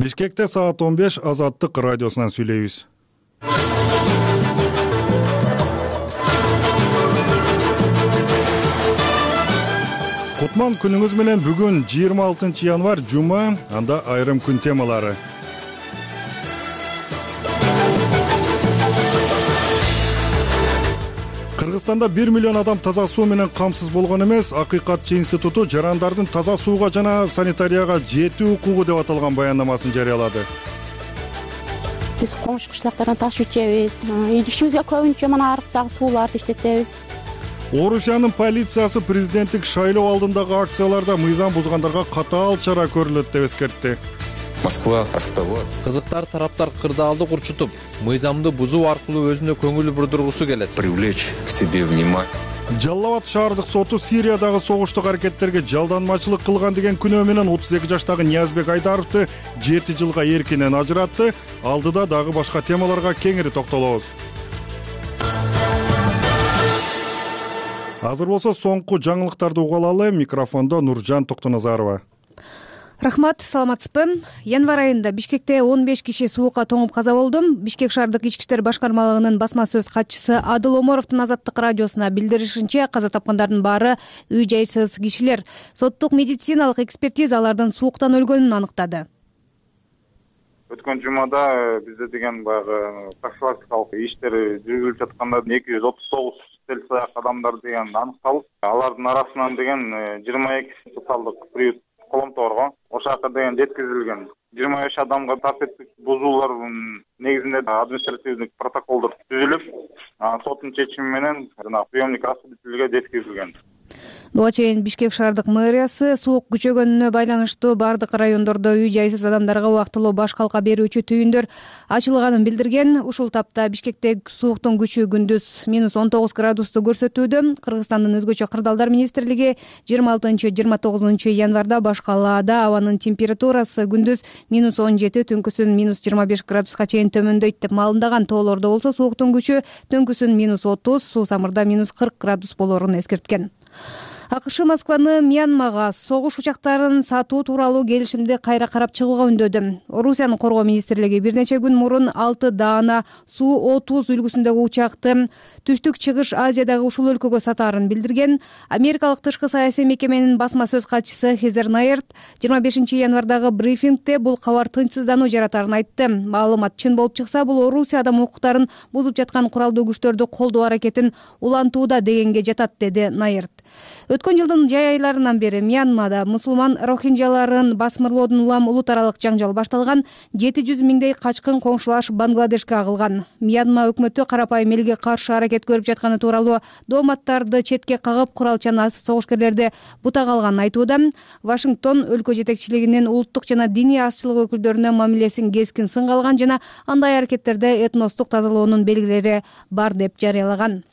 Бишкекте саат 15 Азаттык радиосунан сүйлөйбүз. Кутман күнүңүз менен. Бүгүн 26 январь жума, анда айрым күн темалары. Кыргызстанда 1 миллион адам таза суу менен камсыз болгон эмес. Акыйкатчы институту жарандардын таза сууга жана санитарияга жетүү укугу деп аталган баяндамасын жарыялады. Биз коңшу кышлактардан таш ичебиз, идишибизге көбүнчө мына арыктагы сууларды иштетебиз. Орусиянын полициясы президенттик шайлоо алдындагы акцияларда мыйзам бузгандарга катаал чара көрүлөт деп эскертти. Москва оставаться. Кызыктар тараптар кырдаалды курчутуп, мыйзамды бузуу аркылуу өзүнө көңүл бурдургусу келет. Привлечь к себе внимание. Жалал Абад шаардык соту Сириядагы согуштук аракеттерге жалданмачылык кылган деген күнөө менен 32 жаштагы Ниязбек Айдаровду 7 жылга эркинен ажыратты. Алдыда дагы башка темаларга кеңири токтолобуз. Азыр болсо соңку жаңылыктарды уга алалы. Микрофондо Нуржан Токтоназарова. Рахмат, саламатсызбы? Январь айында Бишкекте 15 киши суукка тоңуп каза болду. Бишкек шаардык ички иштер башкармалыгынын басма сөз катчысы Адыл Омаровдун Азаттык радиосуна билдиришинче, каза тапкандардын баары үй-жайсыз кишилер. Соттук медициналык экспертиза алардын сууктан өлгөнүн аныктады. Өткөн жумада бизде деген баягы профилактикалык иштер жүргүзүлүп жатканда 239 селсаяк адамдар деген аныкталып, алардын арасынан деген 22 социалдык приют коломторго ошака деген жеткизилген. 25 адамга тартиптик бузуулардын негизинде административдик протоколдор түзүлүп, соттун чечими менен приемник осудительге жеткизилген. Буга чейин Бишкек шаардык мэриясы суук күчөгөнүнө байланыштуу бардык райондордо үй-жайсыз адамдарга убактылуу баш калка берүүчү түйүндөр ачылганын билдирген. Ушул тапта Бишкекте сууктун күчү күндүз -19 градусту көрсөтүүдө. Кыргызстандын өзгөчө кырдаалдар министрлиги 26-29 январда баш калаада абанын температурасы күндүз -17, түнкүсүн -25 градуска чейин төмөндөйт деп маалымдаган. Тоолордо болсо сууктун күчү түнкүсүн -30, суусамырда -40 градус болоорун эскерткен. АКШ Москваны Мьянмага согуш учактарын сатуу тууралуу келишимди кайра карап чыгууга үндөдү. Орусиянын коргоо министрлиги бир нече күн мурун 6 даана Су-30 үлгүсүндөгү учакты Түштүк Чыгыш Азиядагы ушул өлкөгө сатаарын билдирген. Америкалык тышкы саясий мекеменин басма сөз катчысы Хезер Найерт 25 январдагы брифингде бул кабар тынчсыздануу жаратарын айтты. Маалымат чын болуп чыкса, бул Орусия адам укуктарын бузуп жаткан куралдуу күчтөрдү колдоо аракетин улантууда дегенге жатат, деди Найерт. Өткөн жылдын жай айларынан бери Мьянмада мусулман рохинджаларын басмырлоодун улам улут аралык жаңжал башталган. 700 миңдей качкын коңшулаш Бангладешке агылган. Мьянма өкмөтү карапайым элге каршы аракет көрүп жатканы тууралуу дооматтарды четке кагып, куралчан согушкерлерди бутага алганын айтууда. Вашингтон өлкө жетекчилигинин улуттук жана диний азчылык өкүлдөрүнө мамилесин кескин сынга алган жана андай аракеттерде этностук тазалоонун белгилери бар деп жарыялаган.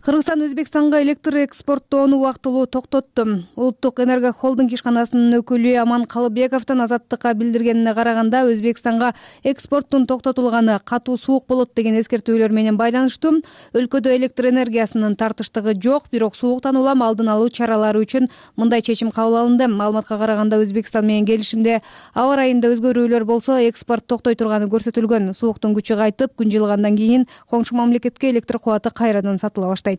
Кыргызстан Өзбекстанга электр экспорттоону убактылуу токтотту. Улуттук энерго холдинг ишканасынын өкүлү Аман Калыбековдун Азаттыкка билдиргенине караганда, Өзбекстанга экспорттун токтотулганы катуу суук болот деген эскертүүлөр менен байланыштуу. Өлкөдө электр энергиясынын тартыштыгы жок, бирок сууктан улам алдын алуу чаралары үчүн мындай чечим кабыл алынды. Маалыматка караганда, Өзбекстан менен келишимде аба райында өзгөрүүлөр болсо, экспорт токтой турганы көрсөтүлгөн. Сууктун күчү кайтып, күн жылыгандан кийин коңшу мамлекетке электр кубаты кайрадан сатыла баштайт.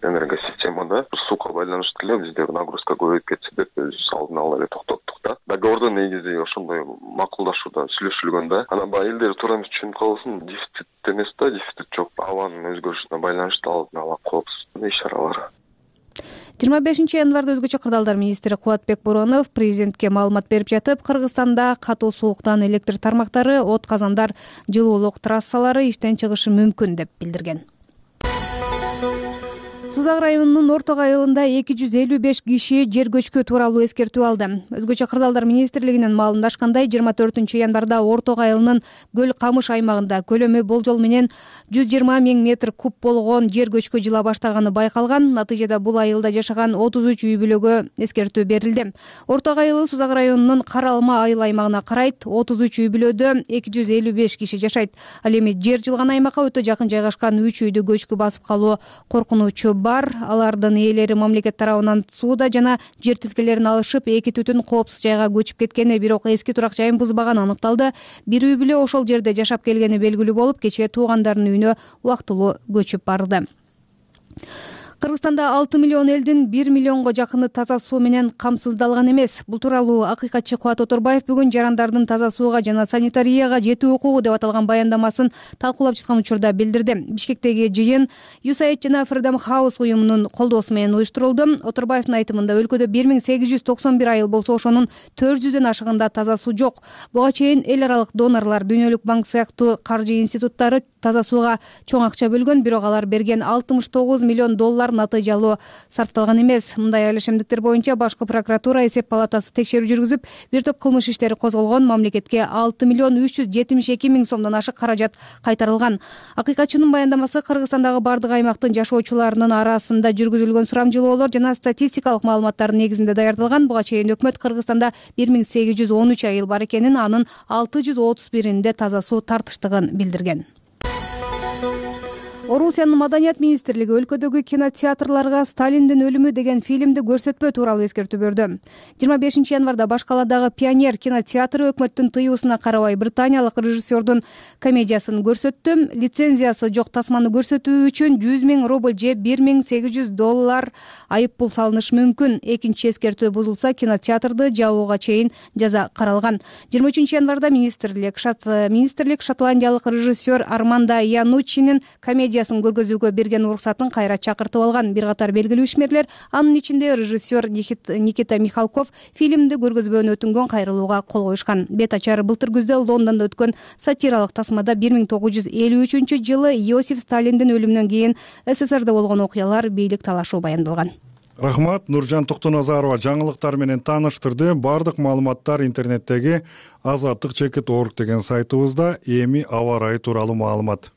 Энергосистемада суука байланыштуу эле бизде нагрузка көбөйүп кетти деп биз алдын ала эле токтоттук да. Договордо негизи ошондой макулдашуудан сүйлөшүлгөн да. Анан баягы элдер туура эмес түшүнүп калбасын, дефицит эмес да, дефицит жок. Абанын өзгөрүшүнө байланыштуу алдын ала коопсуздук иш-чаралары. 25 январда өзгөчө кырдаалдар министри Кубатбек Боронов президентке маалымат берип жатып, Кыргызстанда катуу сууктан электр тармактары, от казандар, жылуулук трассалары иштен чыгышы мүмкүн деп билдирген. Сузак районунун Орток айылында 255 киши жер көчкү тууралуу эскертүү алды. Өзгөчө кырдаалдар министрлигинен маалымдашкандай, 24 январда Орток айылынын Көл Камыш аймагында көлөмү болжол менен 120 миң метр куб болгон жер көчкү жыла баштаганы байкалган. Натыйжада бул айылда жашаган 33 үй бүлөгө эскертүү берилди. Орток айылы Сузак районунун Каралма айыл аймагына карайт. 33 үй бүлөдө 255 киши жашайт. Ал эми жер жылган аймакка өтө жакын жайгашкан 3 үйдү көчкү басып калуу коркунучу бар. бар. Алардын ээлери мамлекет тарабынан сууда жана жер тилкелерин алышып, эки түтүн коопсуз жайга көчүп кеткени, бирок эски турак жайын бузбаганы аныкталды. Бир үй бүлө ошол жерде жашап келгени белгилүү болуп, кечээ туугандарынын үйүнө убактылуу көчүп барды. Кыргызстанда 6 миллион элдин 1 миллионго жакыны таза суу менен камсыздалган эмес. Бул тууралуу акыйкатчы Кубат Оторбаев бүгүн жарандардын таза сууга жана санитарияга жетүү укугу деп аталган баяндамасын талкуулап жаткан учурда билдирди. Бишкектеги жыйын USAID жана Freedom House уюмунун колдоосу менен уюштурулду. Оторбаевдин айтымында өлкөдө 1891 айыл болсо, ошонун 400дөн ашыгында таза суу жок. Буга чейин эл аралык донорлор, Дүйнөлүк банк сыяктуу каржы институттары таза сууга чоң акча бөлгөн, бирок алар берген $69 миллион натыйжалуу сарпталган эмес. Мындай айлашемдиктер боюнча башкы прокуратура, эсеп палатасы текшерүү жүргүзүп, бир топ кылмыш иштери козголгон. Мамлекетке 6 миллион 372 миң сомдон ашык каражат кайтарылган. Акыйкатчынын баяндамасы Кыргызстандагы бардык аймактын жашоочуларынын арасында жүргүзүлгөн сурамжылоолор жана статистикалык маалыматтардын негизинде даярдалган. Буга чейин өкмөт Кыргызстанда 1813 айыл бар экенин, анын 631-инде таза суу тартыштыгын билдирген. Орусиянын маданият министрлиги өлкөдөгү кинотеатрларга Сталиндин өлүмү деген фильмди көрсөтпөө тууралуу эскертүү берди. 25 январда баш каладагы Пионер кинотеатры өкмөттүн тыюусуна карабай британиялык режиссердун комедиясын көрсөттү. Лицензиясы жок тасманы көрсөтүү үчүн 100 000 рубль же $1800 айып пул салынышы мүмкүн. Экинчи эскертүү бузулса, кинотеатрды жабууга чейин жаза каралган. 23 январда министрлик шотландиялык режиссер Армандо Януччинин комедиясын көргөзүүгө берген уруксатын кайра чакыртып алган. Бир катар белгилүү ишмерлер, анын ичинде режиссер Никита Михалков, фильмди көргөзбөөнү өтүнгөн кайрылууга кол коюшкан. Бет ачары былтыр күздө Лондондо өткөн сатиралык тасмада 1953 жылы Иосиф Сталиндин өлүмүнөн кийин СССРде болгон окуялар, бийлик талашуу баяндалган. Рахмат, Нуржан Токтоназарова жаңылыктар менен тааныштырды. Бардык маалыматтар интернеттеги azatlyk.org деген сайтыбызда. Эми аба ырайы тууралуу маалымат.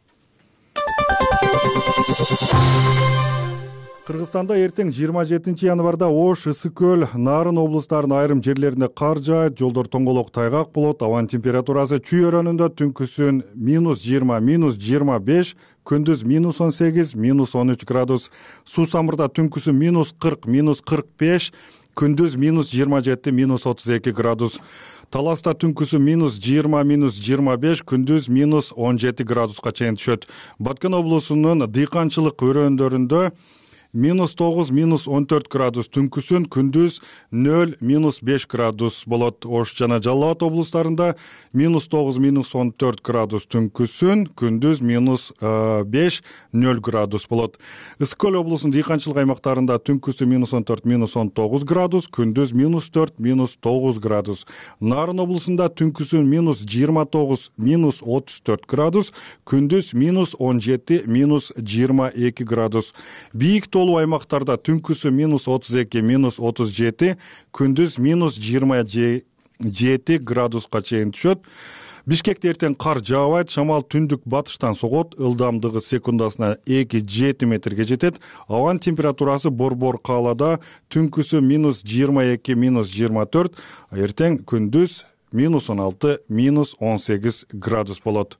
Кыргызстанда эртең 27 январда Ош, Ысык көл, Нарын облустарынын айрым жерлеринде кар жаат, жолдор тоңголок тайгак болот. Абанын температурасы чүй өрөөнүндө түнкүсүн -20, -25, күндүз -18, -13 градус. Суусамырда түнкүсүн -40, -45, күндүз -27, -32 градус. Таласта түнкүсү -20, -25, күндүз -17 градуска чейин түшөт. Баткен облусунун дыйканчылык өрөөндөрүндө -9, -14 градус түнкүсүн, күндүз 0, -5 градус болот. Ош жана Жалал Абад облустарында -9, -14 градус түнкүсүн, күндүз -5, 0 градус болот. Ысык көл облусунун дыйканчылык аймактарында түнкүсү -14, -19 градус, күндүз -4, -9 градус. Нарын облусунда түнкүсүн -29, -34 градус, күндүз -17, -22 градус. Бийик толуу аймактарда түнкүсү -32, -37, күндүз -27 градуска чейин түшөт. Бишкекте эртең кар жаабайт, шамал түндүк батыштан согот, ылдамдыгы секундасына 2-7 метрге жетет. Абанын температурасы борбор каалада түнкүсү -22, -24, эртең күндүз -16, -18 градус болот.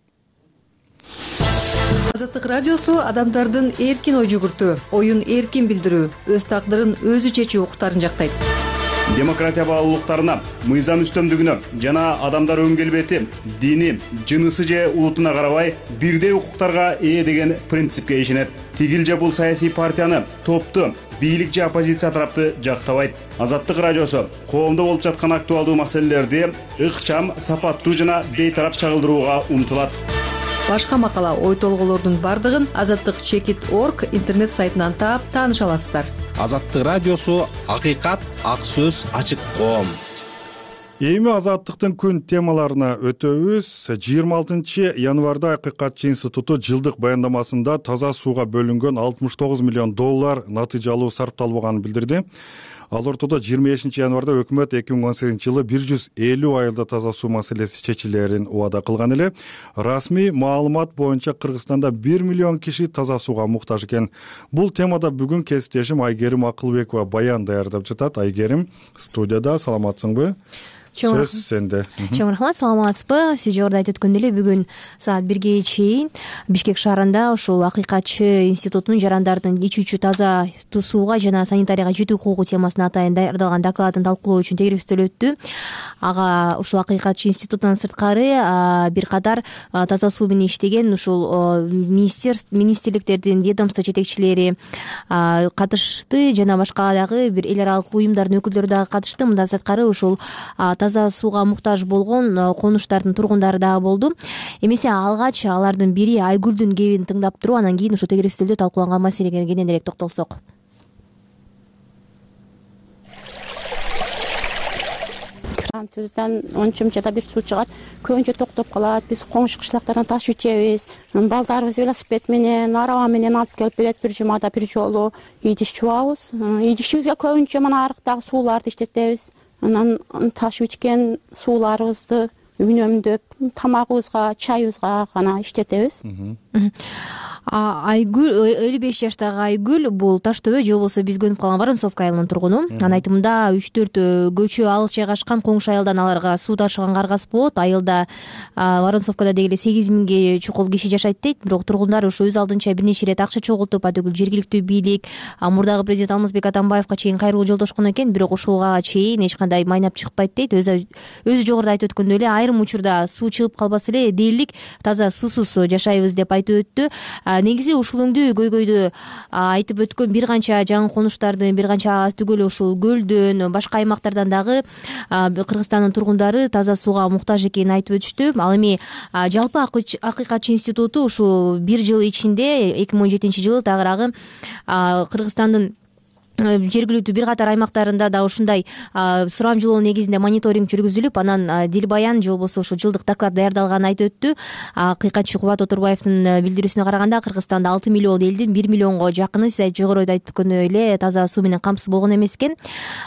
Азаттык радиосу адамдардын эркин ой жүгүртүү, оюн эркин билдирүү, өз тагдырын өзү чечүү укуктарын жактайт. Демократия баалуулуктарына, мыйзам үстөмдүгүнө жана адамдар өн келбети, дини, жынысы же улутуна карабай бирдей укуктарга ээ деген принципке ишенет. Тигил же бул саясий партияны, топту, бийлик же оппозиция тарапты жактабайт. Азаттык радиосу коомдо болуп жаткан актуалдуу маселелерди ыкчам, сапаттуу жана бейтарап чагылдырууга умтулат. Башка макала, ой толголордун бардыгын azatlyk.org интернет сайтынан таап тааныша аласыздар. Азаттык радиосу акыйкат, ак сөз, ачык коом. Эми азаттыктын күн темаларына өтөбүз. 26 январда Акыйкатчы институту жылдык баяндамасында таза сууга бөлүнгөн $69 миллион натыйжалуу сарпталбаганын билдирди. Ал ортодо 25 январда өкмөт 2018 жылы 150 айылда таза суу маселеси чечилерин убада кылган эле. Расмий маалымат боюнча Кыргызстанда 1 миллион киши таза сууга муктаж экен. Бул темада бүгүн кесиптешим Айгерим Акылбекова баян даярдап жатат. Айгерим, студияда, саламатсыңбы? сөз сенде. Чоң рахмат, саламатсызбы? Сиз жогоруда айтып өткөндөй эле бүгүн саат 1ге чейин Бишкек шаарында ушул Акыйкатчы институтунун жарандардын ичүүчү таза сууга жана санитарияга жетүү укугу темасына атайын даярдалган докладын талкуулоо үчүн тегерекстөө өттү. Ага ушул Акыйкатчы институтунан сырткары бир катар таза суу менен иштеген ушул министрликтердин ведомство жетекчилери катышты жана башка дагы бир эл аралык уюмдардын өкүлдөрү дагы катышты. Мындан сырткары ушул таза сууга муктаж болгон конуштардын тургундары дагы болду. Эмесе алгач алардын бири Айгүлдүн кебин тыңдап туруп, анан кийин ушул тегерекстөөлдө талкууланган маселеге кененирээк токтолсок. Түздөн 10 жумчада бир суу чыгат, көбүнчө токтоп калат. Биз коңшу кышлактардан таш ичебиз. Балдарыбыз велосипед менен, араба менен алып келип берет бир жумада бир жолу. Идиш жуабыз. Идишибизге көбүнчө мына арыктагы сууларды иштетебиз. Анан таш ичкен сууларыбызды үнөмдөп, тамагыбызга, чайыбызга гана иштетебиз. Айгүл 55 жаштагы Айгүл бул Таш төбө же болбосо биз көнүп калган Воронцовка айылынын тургуну. Анын айтымында 3-4 көчө алыс жайгашкан коңшу айылдан аларга суу ташыган каргасы болот. Айылда Воронцовкада деги эле 8000ге чукул киши жашайт дейт. Бирок тургундар ушу өз алдынча бир нече ирет акча чогултуп, атөгүл жергиликтүү бийлик, мурдагы президент Алмазбек Атамбаевка чейин кайрылуу жолдошкон экен, бирок ушуга чейин эч кандай майнап чыкпайт дейт. Өзү жогоруда айтып өткөндөй эле айрым учурда суу чыгып калбаса эле дээрлик таза суусуз жашайбыз деп айтып өттү. Негизи ушул өңдүү көйгөйдү айтып өткөн бир канча жаңы конуштардын, бир канча түгөл ушул көлдөн, башка аймактардан дагы Кыргызстандын тургундары таза сууга муктаж экенин айтып өтүштү. Ал эми жалпы Акыйкатчы институту ушул бир жыл ичинде 2017-жылы тагыраагы Кыргызстандын жергиликтүү бир катар аймактарында да ушундай сурамжылоо негизинде мониторинг жүргүзүлүп, анан дилбаян же болбосо ушул жылдык доклад даярдалганын айтып өттү. Акыйкатчы Кубат Отурбаевдин билдирүүсүнө караганда Кыргызстанда 6 миллион элдин 1 миллионго жакыны сиз жогоруда айтып өткөндөй эле таза суу менен камсыз болгон эмес экен.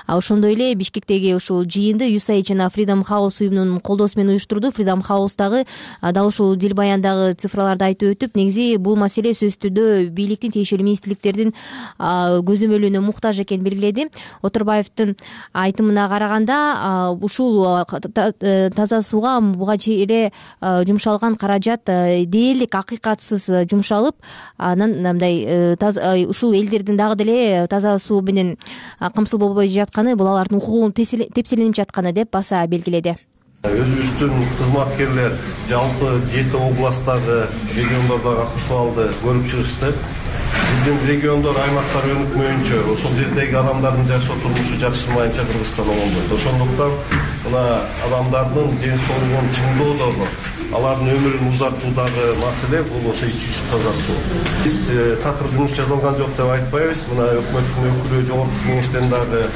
Ошондой эле Бишкектеги ушул жыйынды USAID жана Freedom House уюмунун колдоосу менен уюштурду. Freedom House дагы дал ушул дилбаяндагы цифраларды айтып өтүп, негизи бул маселе сөзсүз түрдө бийликтин, тиешелүү министрликтердин көзөмөлүнө экен белгиледи. Отурбаевдин айтымына караганда ушул таза сууга буга чейин жумшалган каражат дээрлик акыйкатсыз жумшалып, анан мындай ушул элдердин дагы деле таза суу менен камсыз болбой жатканы, бул алардын укугунун тепселенип жатканы деп баса белгиледи. Өзүбүздүн кызматкерлер жалпы 7 областтагы региондордогу акыбалды көрүп чыгышты. Биздин региондор, аймактар өнүкмөйүнчө, ошол жердеги адамдардын жашоо турмушу жакшырмайынча Кыргызстан оңолбойт. Ошондуктан мына адамдардын ден соолугун чыңдоодогу, алардын өмүрүн узартуудагы маселе бул ошо ичүүчү таза суу. Биз такыр жумуш жасалган жок деп айтпайбыз. Мына өкмөттүн өкүлү, жогорку кеңештен дагы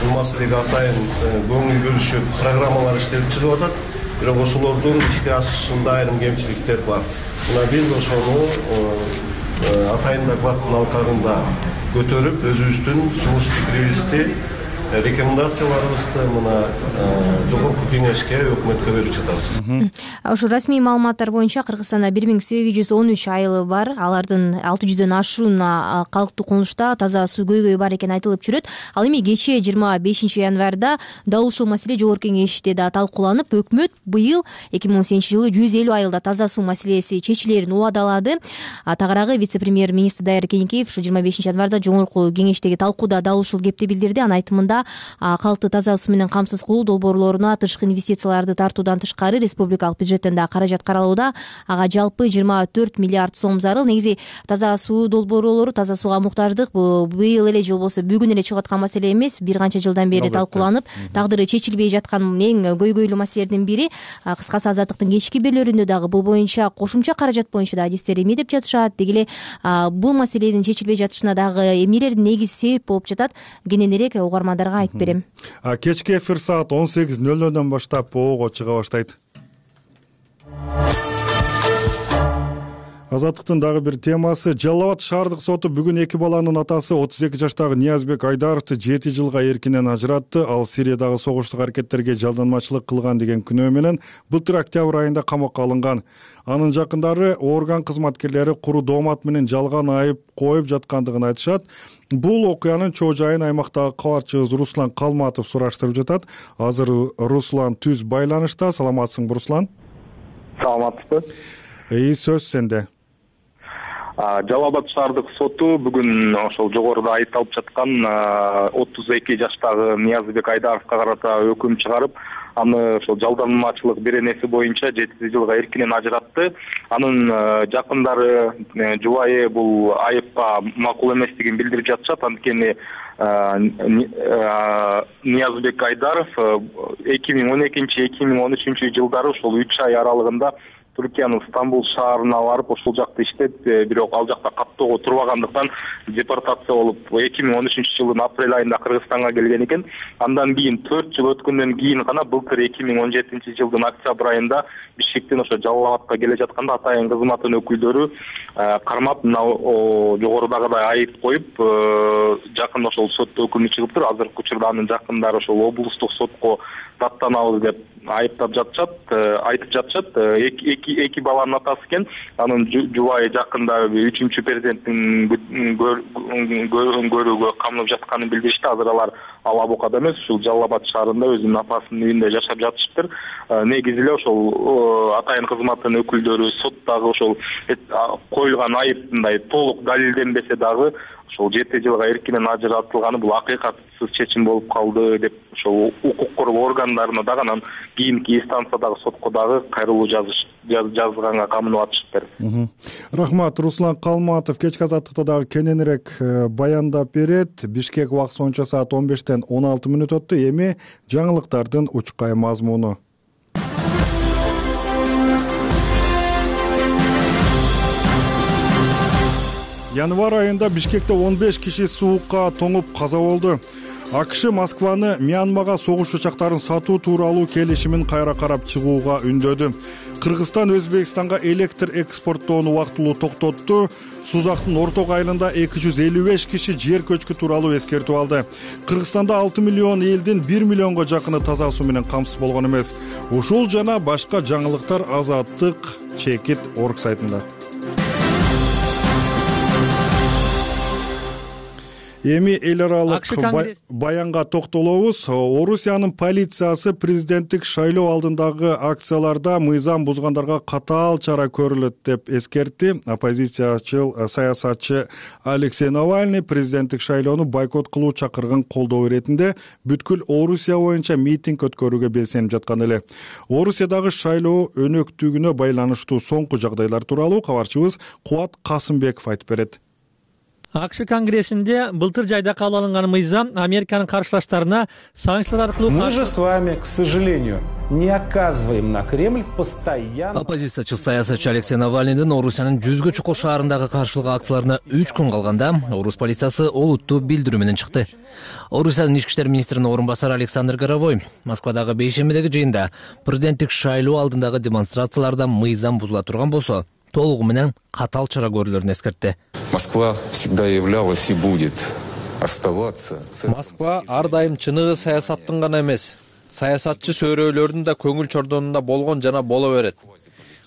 бул маселеге атайын көңүл бөлүшүп, программалар иштелип чыгып атат. Бирок ошолордун ишке ашышында айрым кемчиликтер бар. Мына биз ошону атайын докладдын алкагында көтөрүп, өзүбүздүн сунуш пикирибизди, рекомендацияларыбызды мына жогорку кеңешке, өкмөткө берип жатабыз. Ошо расмий маалыматтар боюнча Кыргызстанда 1813 айылы бар. Алардын 600дөн ашуун калктуу конушта таза суу көйгөйү бар экени айтылып жүрөт. Ал эми кечээ 25 январда дал ушул маселе жогорку кеңеште да талкууланып, өкмөт быйыл 2018-жылы 150 айылда таза суу маселеси чечилерин убадалады. Тагыраагы вице-премьер-министр Дайыр Кенекеев ушу 25 январда жогорку кеңештеги талкууда дал ушул кепти билдирди. Анын айтымында калкты таза суу менен камсыз кылуу долбоорлоруна тышкы инвестицияларды тартуудан тышкары республикалык бюджеттен да каражат каралууда. Ага жалпы 24 миллиард сом зарыл. Негизи таза суу долбоорлору, таза сууга муктаждык быйыл эле же болбосо бүгүн эле чыгып аткан маселе эмес. Бир канча жылдан бери талкууланып, тагдыры чечилбей жаткан эң көйгөйлүү маселелердин бири. Кыскасы Азаттыктын кечки берүүлөрүндө дагы бул боюнча кошумча каражат боюнча да адистер эме деп жатышат. Деги эле бул маселенин чечилбей жатышына дагы эмнелер негиз себеп болуп жатат, кененирээк угармандарга айтып берем. Кечки эфир саат 18:00 баштап ого чыга баштайт. Азаттыктын дагы бир темасы. Жалал Абад шаардык соту бүгүн эки баланын атасы 32 жаштагы Ниязбек Айдаровду 7 жылга эркинен ажыратты. Ал Сириядагы согуштук аракеттерге жалданмачылык кылган деген күнөө менен былтыр октябрь айында камакка алынган. Анын жакындары орган кызматкерлери куру доомат менен жалган айып коюп жаткандыгын айтышат. Бул окуянын чоо жайын аймактагы кабарчыбыз Руслан Калматов сураштырып жатат. Азыр Руслан түз байланышта. Саламатсыңбы, Руслан? Саламатсызбы? Сөз сенде. Жалал Абад шаардык соту бүгүн ошол жогоруда айыпталып жаткан 32 жаштагы Ниязбек Айдаровго карата өкүм чыгарып, аны ошол жалданмачылык беренеси боюнча 7 жылга эркинен ажыратты. Анын жакындары, жубайы бул айыпка макул эместигин билдирип жатышат. Анткени Ниязбек Айдаров 2012-2013 жылдары ошол 3 ай аралыгында Түркиянын Стамбул шаарына барып, ошол жакта иштеп, бирок ал жакта каттоого турбагандыктан депортация болуп, 2013 жылдын апрель айында Кыргызстанга келген экен. Андан кийин 4 жыл өткөндөн кийин гана былтыр 2017 жылдын октябрь айында Бишкектен ошо Жалал Абадка келе жатканда атайын кызматтын өкүлдөрү кармап, жогорудагыдай айып коюп, жакында ошол сотто өкүмү чыгыптыр. Азыркы учурда анын жакындары ошол облустук сотко даттанабыз деп айыптап жатышат, айтып жатышат. Эки баланын атасы экен. Анын жубайы жакында 3-чү перзенттин көрүүгө камынып жатканын билдиришти. Азыр алар Ала Букада эмес, ушул Жалал Абад шаарында өзүнүн апасынын үйүндө жашап жатышыптыр. Негизи эле ошол атайын кызматтын өкүлдөрү соттогу ошол коюлган айыптындай толук далилденбесе дагы ошол 7 жылга эркинен ажыратылганы бул акыйкатсыз чечим болуп калды деп ошол укук коргоо органдарына дагы, анан кийинки инстанциядагы сотко дагы кайрылуу жазганга камынып атышыптыр. Рахмат. Руслан Калматов кечки азаттыкта дагы кененирээк баяндап берет. Бишкек убакыты боюнча саат 15-тен 16 мүнөт өттү. Эми жаңылыктардын учкай мазмуну. Январь айында Бишкекте 15 киши суукка тоңуп каза болду. АКШ Москваны Мьянмага согуш учактарын сатуу тууралуу келишимин кайра карап чыгууга үндөдү. Кыргызстан Өзбекстанга электр экспорттоону убактылуу токтотту. Сузактын орток айылында 255 киши жер көчкү тууралуу эскертип алды. Кыргызстанда 6 миллион элдин 1 миллионго жакыны таза суу менен камсыз болгон эмес. Ушул жана башка жаңылыктар Азаттык чекит орг сайтында. Эми эл аралык баянга токтолобуз. Орусиянын полициясы президенттик шайлоо алдындагы акцияларда мыйзам бузгандарга катаал чара көрүлөт деп эскертти. Оппозициячыл саясатчы Алексей Навальный президенттик шайлоону бойкот кылуу чакырган колдоо иретинде бүткүл Орусия боюнча митинг өткөрүүгө белсенип жаткан эле. Орусиядагы шайлоо өнөктүгүнө байланыштуу соңку жагдайлар тууралуу кабарчыбыз Кубат Касымбеков айтып берет. АКШ Конгрессинде былтыр жайда кабыл алынган мыйзам Американын каршылаштарына санкциялар аркылуу Мы же с вами, к сожалению, не оказываем на Кремль постоянно. Оппозициячыл саясатчы Алексей Навальныйдын Орусиянын жүзгө чукул шаарындагы каршылык акцияларына 3 күн калганда орус полициясы олуттуу билдирүү менен чыкты. Орусиянын ички иштер министринин орун басары Александр Горовой Москвадагы бейшембидеги жыйында президенттик шайлоо алдындагы демонстрацияларда мыйзам бузула турган болсо, толугу менен катаал чара көрүлөрүн эскертти. Москва всегда являлась и будет оставаться. Москва ар дайым чыныгы саясаттын гана эмес, саясатчы сөөрөөлөрдүн да көңүл чордонунда болгон жана боло берет.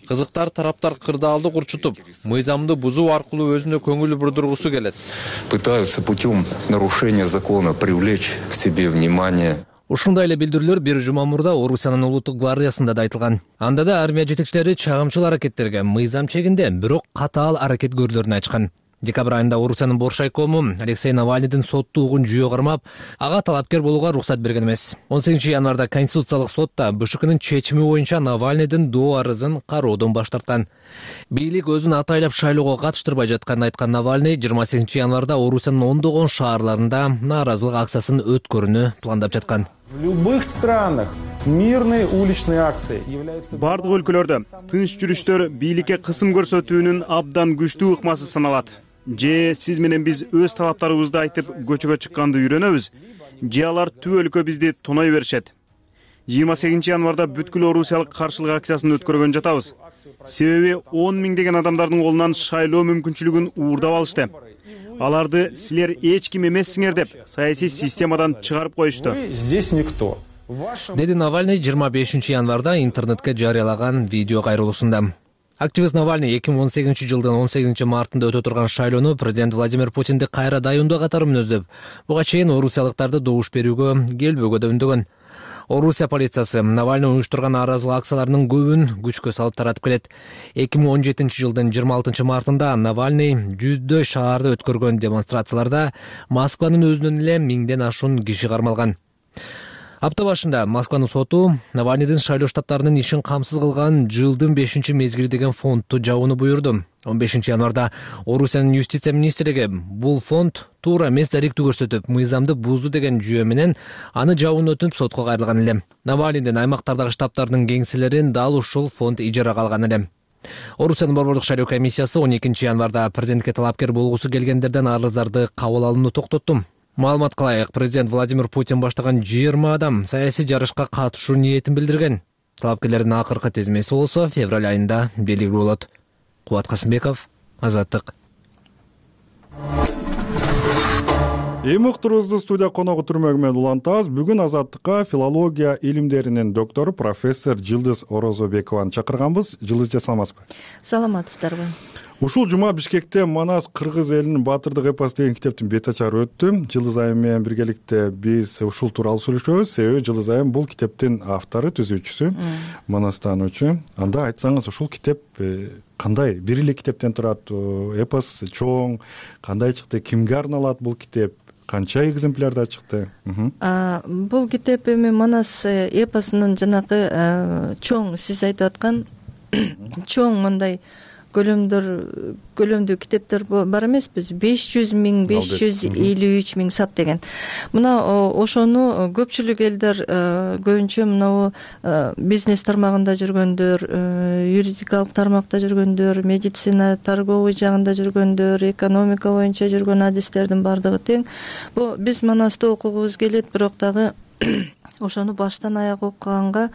Кызыктар тараптар кырдаалды курчутуп, мыйзамды бузуу аркылуу өзүнө көңүл бурдургусу келет. Пытаются путем нарушения закона привлечь к себе внимание. Ушундай эле билдирүүлөр бир жума мурда Орусиянын улуттук гвардиясында да айтылган. Анда да армия жетекчилери чагымчыл аракеттерге мыйзам чегинде бирок катаал аракет көрүлөрүн айтышкан. Декабрь айында Орусиянын бош райкому Алексей Навальныйдын соттуулугун жүйө кармап, ага талапкер болууга уруксат берген эмес. 18 январда Конституциялык сотта БШКнын чечими боюнча Навальныйдын доо арызын кароодон баш тарткан. Бийлик өзүн атайлап шайлоого катыштырбай жатканын айткан Навальный 28 январда Орусиянын ондогон шаарларында нааразылык акциясын өткөрүүнү пландап жаткан. В любых странах мирные уличные акции являются... Бардык өлкөлөрдө тынч жүрүштөр бийликке кысым көрсөтүүнүн абдан күчтүү ыкмасы саналат. Же сиз менен биз өз талаптарыбызды айтып көчөгө чыкканды үйрөнөбүз, же алар түп өлкө бизди тоной беришет. 28 январда бүткүл орусиялык каршылык акциясын өткөргөн жатабыз. Себеби 10 миңдеген адамдардын колунан шайлоо мүмкүнчүлүгүн уурдап алышты. Аларды силер эч ким эмессиңер деп саясий системадан чыгарып коюшту. Здесь никто. Деди Навальный 25 январда интернетке жарыялаган видео кайрылуусунда. Активист Навальный 2018 жылдын 18 мартында өтө турган шайлоону президент Владимир Путинди кайра дайындоо катары мүнөздөп, буга чейин орусиялыктарды добуш берүүгө келбөөгө да үндөгөн. Орусия полициясы Навальный уюштурган нааразылык акцияларынын көбүн күчкө салып таратып келет. 2017 жылдын 26 мартында Навальный жүздөө шаарда өткөргөн демонстрацияларда Москванын өзүнөн эле 1000ден ашуун киши кармалган. Апта башында Москванын соту Навальныйдын шайлоо штабтарынын ишин камсыз кылган жылдын 5-мезгили деген фондду жабууну буйрду. 15 январда Орусиянын юстиция министрлиги бул фонд туура эмес даректүү көрсөтүп, мыйзамды бузду деген жүйө менен аны жабууну өтүнүп сотко кайрылган эле. Навальныйдын аймактардагы штабтарынын кеңселерин дал ушул фонд ижарага алган эле. Орусиянын борбордук шайлоо комиссиясы 12 январда президентке талапкер болгусу келгендерден арыздарды кабыл алууну токтотту. Маалымат кылайык, президент Владимир Путин баштаган 20 адам саясий жарышка катышуу ниетин билдирген. Талапкерлердин акыркы тизмеси болсо февраль айында белгилүү болот. Кубат Касымбеков, Азаттык. Эми уктуруубузду студия коногу түрмөгү менен улантабыз. Бүгүн Азаттыкка филология илимдеринин доктору профессор Жылдыз Орозобекованы чакырганбыз. Жылдыз, саламатсызбы? Саламатсыздарбы? Ушул жума Бишкекте Манас кыргыз элинин баатырдык эпосу деген китептин бет ачары өттү. Жылдыз айым менен биргеликте биз ушул тууралуу сүйлөшөбүз. Себеби Жылдыз айым бул китептин автору, түзүүчүсү, Манастануучу. Анда айтсаңыз, ушул китеп кандай? Бир эле китептен турат, эпос чоң, кандай чыкты, кимге арналат бул китеп? Канча экземплярда чыкты? Бул китеп эми Манас эпосунун жанагы чоң, сиз айтып аткан чоң мындай көлөмдүү китептер бар эмеспиз? 500 миң, 553 миң сап деген. Мына ошону көпчүлүк элдер көбүнчө мына бизнес тармагында жүргөндөр, юридикалык тармакта жүргөндөр, медицина, торговый жагында жүргөндөр, экономика боюнча жүргөн адистердин бардыгы тең. Бул биз Манасты окугубуз келет, бирок дагы ошону баштан аяк окуганга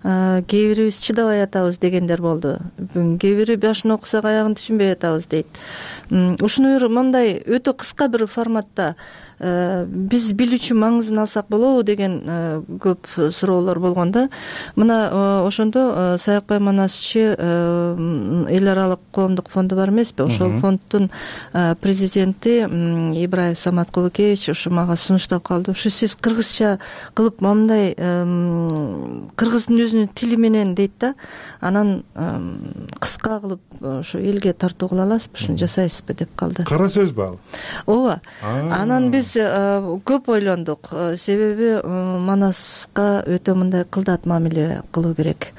кээ бирибиз чыдабай атабыз дегендер болду. Кээ бири башын окусак аягын түшүнбөй атабыз дейт. Ушуну мындай өтө кыска бир форматта биз билүүчү маңызын алсак болобу деген көп суроолор болгон да. Мына ошондо Саякбай Манасчы эл аралык коомдук фонду бар эмеспи? Ошол фонддун президенти Ибраев Самат Кулукевич ушу мага сунуштап калды. Ушу сиз кыргызча кылып мындай кыргыздын өзүнүн тили менен дейт да, анан кыска кылып ошо элге тартуу кыла аласызбы, ушуну жасайсызбы деп калды. Кара сөзбү ал? Ооба. Анан биз көп ойлондук. Себеби Манаска өтө мындай кылдат мамиле кылуу керек.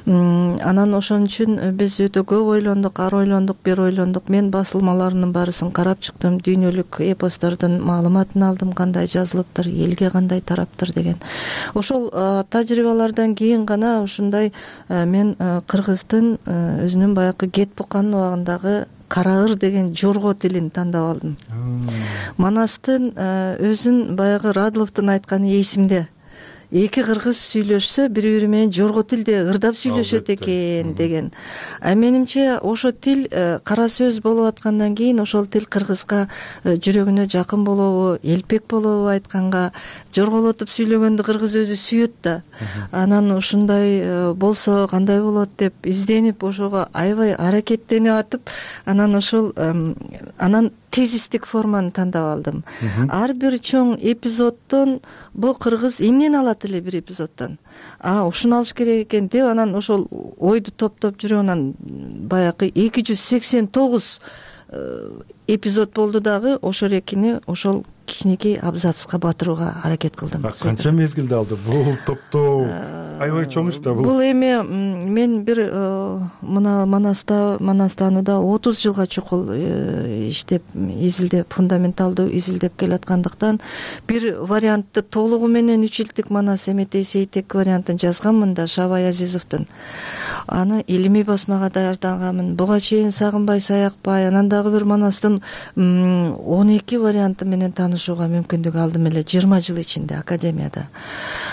Анан ошон үчүн биз өтө көп ойлондук, ар ойлондук, бир ойлондук. Мен басылмаларынын баарысын карап чыктым, дүйнөлүк эпостордун маалыматын алдым, кандай жазылыптыр, элге кандай тараптыр деген. Ошол тажрыйбалардан кийин гана ушундай мен кыргыздын өзүнүн баягы Кетбуканын убагындагы Караыр деген жорго тилин тандап алдым. Манастын өзүн баягы Радловдун айтканы эсимде. Эки кыргыз сүйлөшсө, бири-бири менен жорго тилде ырдап сүйлөшөт экен деген. Менимче ошо тил кара сөз болуп аткандан кийин ошол тил кыргызга жүрөгүнө жакын болобу, элпек болобу айтканга, жорголотуп сүйлөгөндү кыргыз өзү сүйөт да. Анан ушундай болсо кандай болот деп изденип, ошого аябай аракеттенип атып, анан ошол анан тезистик форманы тандап алдым. Ар бир чоң эпизоддон бул кыргыз эмнени алат эле бир эпизоддон? Ушуну алыш керек экен деп анан ошол ойду топтоп жүрүп анан баягы 289 эпизод болду дагы ошол экини ошол кичинекей абзацка батырууга аракет кылдым. Канча мезгилде алды бул топтоо? Аябай чоң иш да бул. Бул эми мен бир мына Манастанууда 30 жылга чукул иштеп, изилдеп, фундаменталдуу изилдеп келаткандыктан бир вариантты толугу менен 3 жылдык Манас Эметей Сейтек вариантын жазганмын да, Шабай Азизовдун. аны илимий басмага даярданганмын. Буга чейин Сагынбай, Саякбай, анан дагы бир Манастын 12 варианты менен таанышууга мүмкүндүк алдым эле 20 жыл ичинде академияда.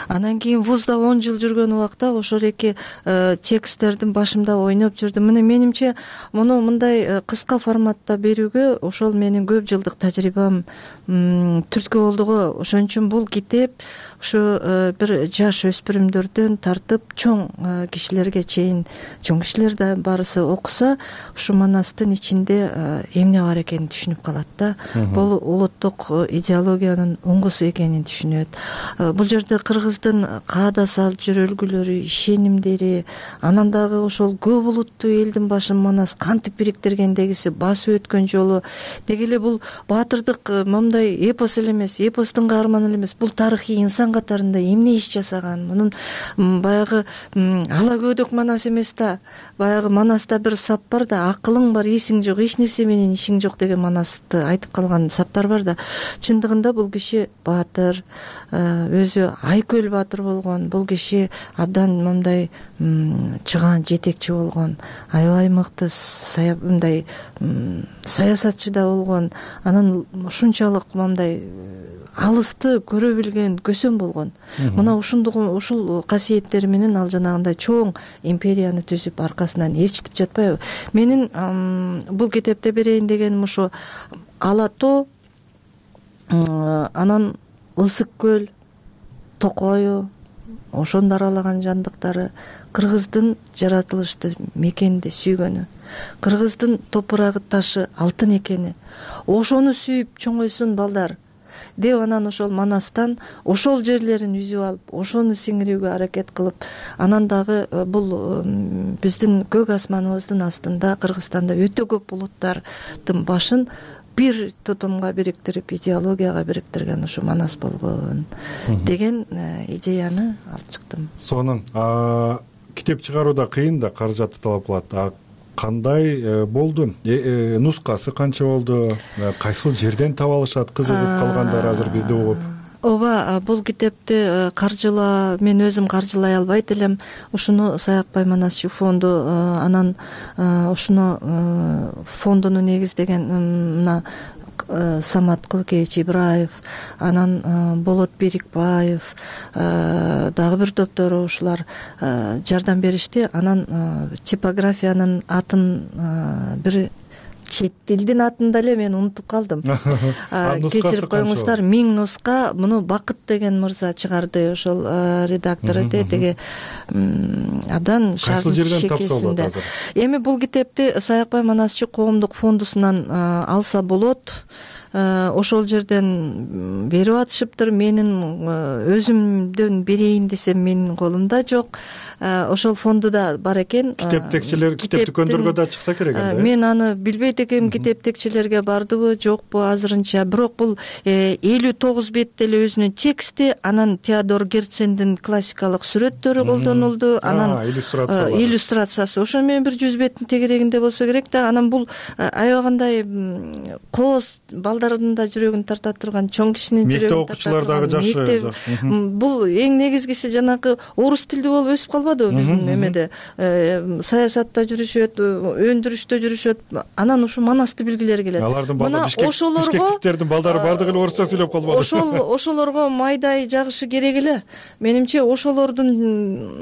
Анан кийин вузда 10 жыл жүргөн убакта ошол эки тексттердин башымда ойноп жүрдүм. Мына менимче муну мындай кыска форматта берүүгө ошол менин көп жылдык тажрыйбам түрткү болду го. Ошон үчүн бул китеп ушу бир жаш өспүрүмдөрдөн тартып чоң кишилерге чейин, чоң кишилер да баарысы окуса, ушу Манастын ичинде эмне бар экенин түшүнүп калат да. Бул улуттук идеологиянын уңгусу экенин түшүнөт. Бул жерде кыргыздын каада салып жүрөлгүлөрү, ишенимдери, анан дагы ошол көп улуттуу элдин башын Манас кантип бириктиргендегиси, басып өткөн жолу. Деги эле бул баатырдык мындай эпос эле эмес, эпостун каарманы эле эмес, бул тарыхый инсан катарында эмне иш жасаган. Мунун баягы ала көдөк Манас эмес да. Баягы Манаста бир сап бар да, акылың бар, эсиң жок, эч нерсе менен ишиң жок деген Манасты айтып калган саптар бар да. Чындыгында бул киши баатыр, өзү Айкөл баатыр болгон. Бул киши абдан мындай чыгаан жетекчи болгон, аябай мыкты мындай саясатчы да болгон. Анан ушунчалык мындай алысты көрө билген көсөм болгон. Мына ушул касиеттери менен ал жанагындай чоң империяны түзүп аркасынан ээрчитип жатпайбы. Менин бул китепте берейин дегеним ушу Ала тоо, анан Ысык көл, Токою, ошондо аралаган жандыктары, кыргыздын жаратылышты мекенди сүйгөнү, кыргыздын топурагы ташы алтын экени, ошону сүйүп чоңойсун балдар деп анан ошол Манастан ошол жерлерин үзүп алып, ошону сиңирүүгө аракет кылып, анан дагы бул биздин көк асманыбыздын астында Кыргызстанда өтө көп улуттардын башын бир тутумга бириктирип, идеологияга бириктирген ушу Манас болгон деген идеяны алып чыктым. Сонун китеп чыгарууда кыйын да, каражатты талап кылат. Кандай болду? Нускасы канча болду? Кайсыл жерден таба алышат? Кызыгып калгандар азыр бизде угуп. Ооба, бул китепти мен өзүм каржылай албайт элем. Ушуну Саякбай Манасчы фонду, анан ушуну фондуну негиздеген мына Самат Кулкевич Ибраев, анан Болот Берикбаев, дагы бир топтору ушулар жардам беришти. Анан типографиянын атын бир чет тилдин атын деле мен унутуп калдым. Кечирип коюңуздар, 1000 нуска. Муну Бакыт деген мырза чыгарды, ошол редактор теги абдан шагын шекесинде. Эми бул китепти Саякбай Манасчы коомдук фондусунан алса болот. Ошол жерден берип атышыптыр. Менин өзүмдөн берейин десем менин колумда жок. Ошол фондуда бар экен. Китептекчилер китеп дүкөндөргө да чыкса керек эле. Мен аны билбейт экенмин, китептекчилерге бардыбы, жокпу азырынча. Бирок бул 59 бетте эле өзүнүн тексти, анан Теодор Герцендин классикалык сүрөттөрү колдонулду, анан иллюстрациясы. Ошо менен бир 100 беттин тегерегинде болсо керек да. Анан бул аябагандай кооз балдардын да жүрөгүн тарта турган, чоң кишинин жүрөгүн тарта турган. Мектеп окуучулар дагы жакшы. Бул эң негизгиси жанагы орус тилдүү болуп өсүп калбадыбы биздин эмеде. Саясатта жүрүшөт, өндүрүштө жүрүшөт. Анан ушу Манасты билгилери келет. Мына бишкектиктердин балдары бардыгы эле орусча сүйлөп калбады. Ошолорго майдай жагышы керек эле. Менимче ошолордун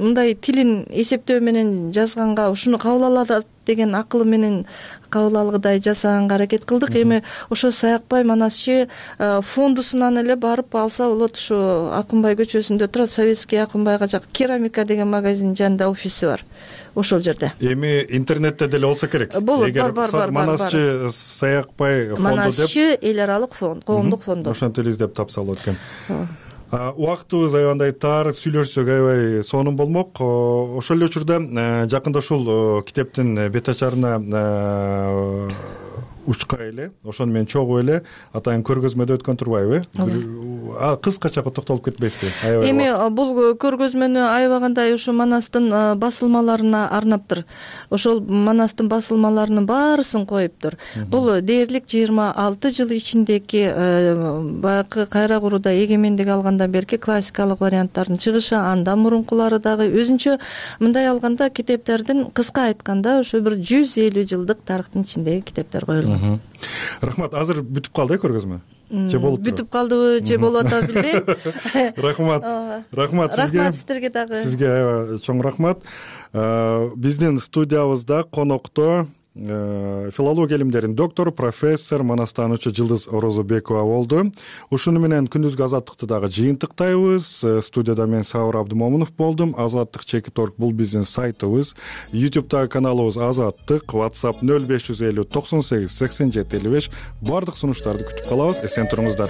мындай тилин эсептөө менен жазганга ушуну кабыл алат деген акылы менен кабыл алгыдай жасаганга аракет кылдык. Эми ошо Саякбай Манасчы фондусунан эле барып алса болот. Ушу Акынбай көчөсүндө турат, Советский Акынбайга жак Керамика деген магазиндин жанында офиси бар. Ошол жерде. Эми интернетте деле болсо керек. Болот, бар. Манасчы Саякбай фонду деп. Манасчы эл аралык фонд, коомдук фонду. Ошентип эле издеп тапса болот экен. Убактыбыз аябандай тар, сүйлөшсөк аябай сонун болмок. Ошол эле учурда жакында ушул китептин бет ачарына учка эле ошону менен чогуу эле атайын көргөзмөдө өткөн турбайбы? Кыскача токтолуп кетпейсизби? Эми бул көргөзмөнү аябагандай ушу Манастын басылмаларына арнаптыр. Ошол Манастын басылмаларынын баарысын коюптур. Бул дээрлик 26 жыл ичиндеки баягы кайра курууда эгемендик алгандан берки классикалык варианттардын чыгышы, андан мурункулары дагы өзүнчө мындай алганда китептердин кыска айтканда ошо бир 150 жылдык тарыхтын ичиндеги китептер коюлган. Рахмат. Азыр бүтүп калды көргөзмө? Же болуп турат? Бүтүп калдыбы же болуп атабы билбейм. Рахмат сизге. Рахмат сиздерге дагы. Сизге чоң рахмат. Биздин студиябызда конокто филология илимдеринин доктору, профессор, манастануучу Жылдыз Орозобекова болду. Ушуну менен күндүзгү азаттыкты дагы жыйынтыктайбыз. Студияда мен Сабыр Абдымомунов болдум. Азаттык _org бул биздин сайтыбыз. YouTube'дагы каналыбыз Азаттык, WhatsApp 0550 98 87 55. Бардык сунуштарды күтүп калабыз. Эсен туруңуздар.